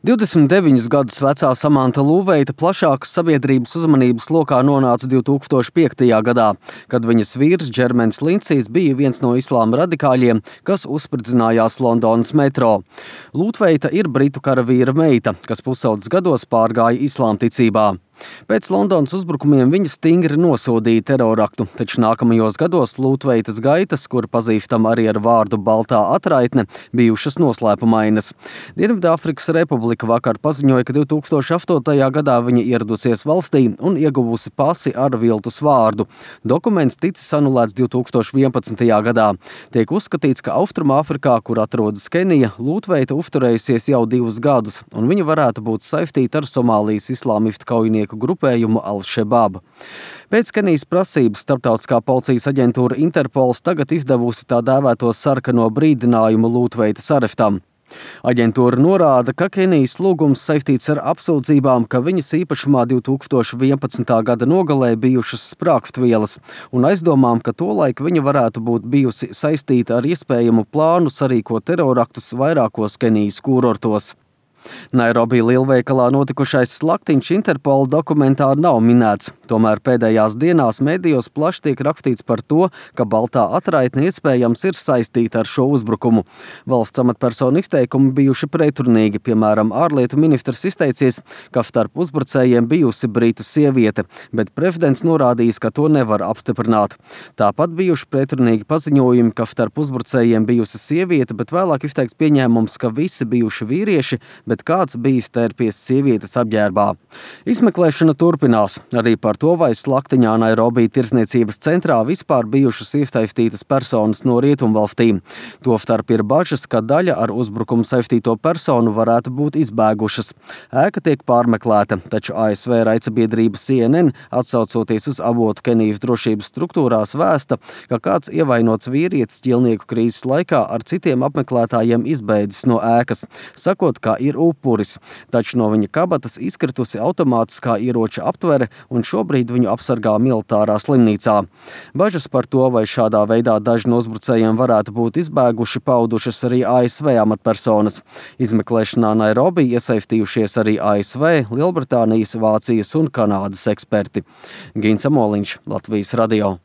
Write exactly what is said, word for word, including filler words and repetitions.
divdesmit deviņus gadus vecā Samanta Lūveita plašākas sabiedrības uzmanības lokā nonāca divtūkstoš piektajā gadā, kad viņas vīrs Džermens Lincijs bija viens no islāma radikāļiem, kas uzspridzinājās Londonas metro. Lūveita ir britu karavīra meita, kas pusaudzes gados pārgāja islāmticībā. Pēc Londonas uzbrukumiem viņa stingri nosodīja teroraktu, taču nākamajos gados Lūtveitas gaitas, kur pazīstam arī ar vārdu Baltā atraitne, bijušas noslēpumainas. Dienvidāfrikas Republika vakar paziņoja, ka divtūkstoš astotajā gadā viņa ieradusies valstī un ieguvusi pasi ar viltus vārdu. Dokuments ticis anulēts divtūkstoš vienpadsmitajā gadā. Tiek uzskatīts, ka Austrumāfrikā, kur atrodas Kenija, Lūtveita uzturējusies jau divus gadus, un viņa varētu būt saistīta ar Somālijas islāmistu kaujinieku grupējumu Al-Shabaab. Pēc Kenijas prasības starptautiskā policijas aģentūra Interpols tagad izdevusi tā dēvēto sarkano brīdinājumu Lūtveitas arestam. Aģentūra norāda, ka Kenijas lūgums saistīts ar apsūdzībām, ka viņas īpašumā divtūkstoš vienpadsmitā gada nogalē bijušas sprāgstvielas un aizdomām, ka tolaik viņa varētu būt bijusi saistīta ar iespējamu plānu sarīkot teroraktus vairākos Kenijas kurortos. Nairobi lielveikalā notikušais slaktiņš Interpola dokumentā nav minēts, tomēr pēdējās dienās medijos plaši tiek rakstīts par to, ka Baltā atraitne iespējams ir saistīta ar šo uzbrukumu. Valsts amatpersonu izteikumi bijuši pretrunīgi, piemēram, ārlietu ministrs izteicies, ka starp uzbrucējiem bijusi britu sieviete, bet prezidents norādījis, ka to nevar apstiprināt. Tāpat bijuši pretrunīgi paziņojumi, ka starp uzbrucējiem bijusi sieviete, bet vēlāk izteikts pieņēmums, ka visi bijuši vīrieši, bet kāds bijis tērpies sievietes apģērbā. Izmeklēšana turpinās arī par to, vai slaktiņā Nairobi tirdzniecības centrā vispār bijušas iesaistītas personas no rietumvalstīm. Tostarp ir bažas, ka daļa ar uzbrukumu saistīto personu varētu būt izbēgušas. Ēka tiek pārmeklēta, taču A S V raidsabiedrība C N N, atsaucoties uz avotu Kenijas drošības struktūrās, vēsta, ka kāds ievainots vīrietis ķilnieku krīzes laikā ar citiem apmeklētājiem izbēdzis no ēkas, sakot, ka ir upuris, taču no viņa kabatas izkritusi automātiskā ieroča aptvere un šobrīd viņu apsargā militārā slimnīcā. Bažas par to, vai šādā veidā daži no uzbrucējiem varētu būt izbēguši, paudušas arī A S V amatpersonas. Izmeklēšanā Nairobi iesaistījušies arī A S V, Lielbritānijas, Vācijas un Kanādas eksperti. Gins Amoliņš, Latvijas radio.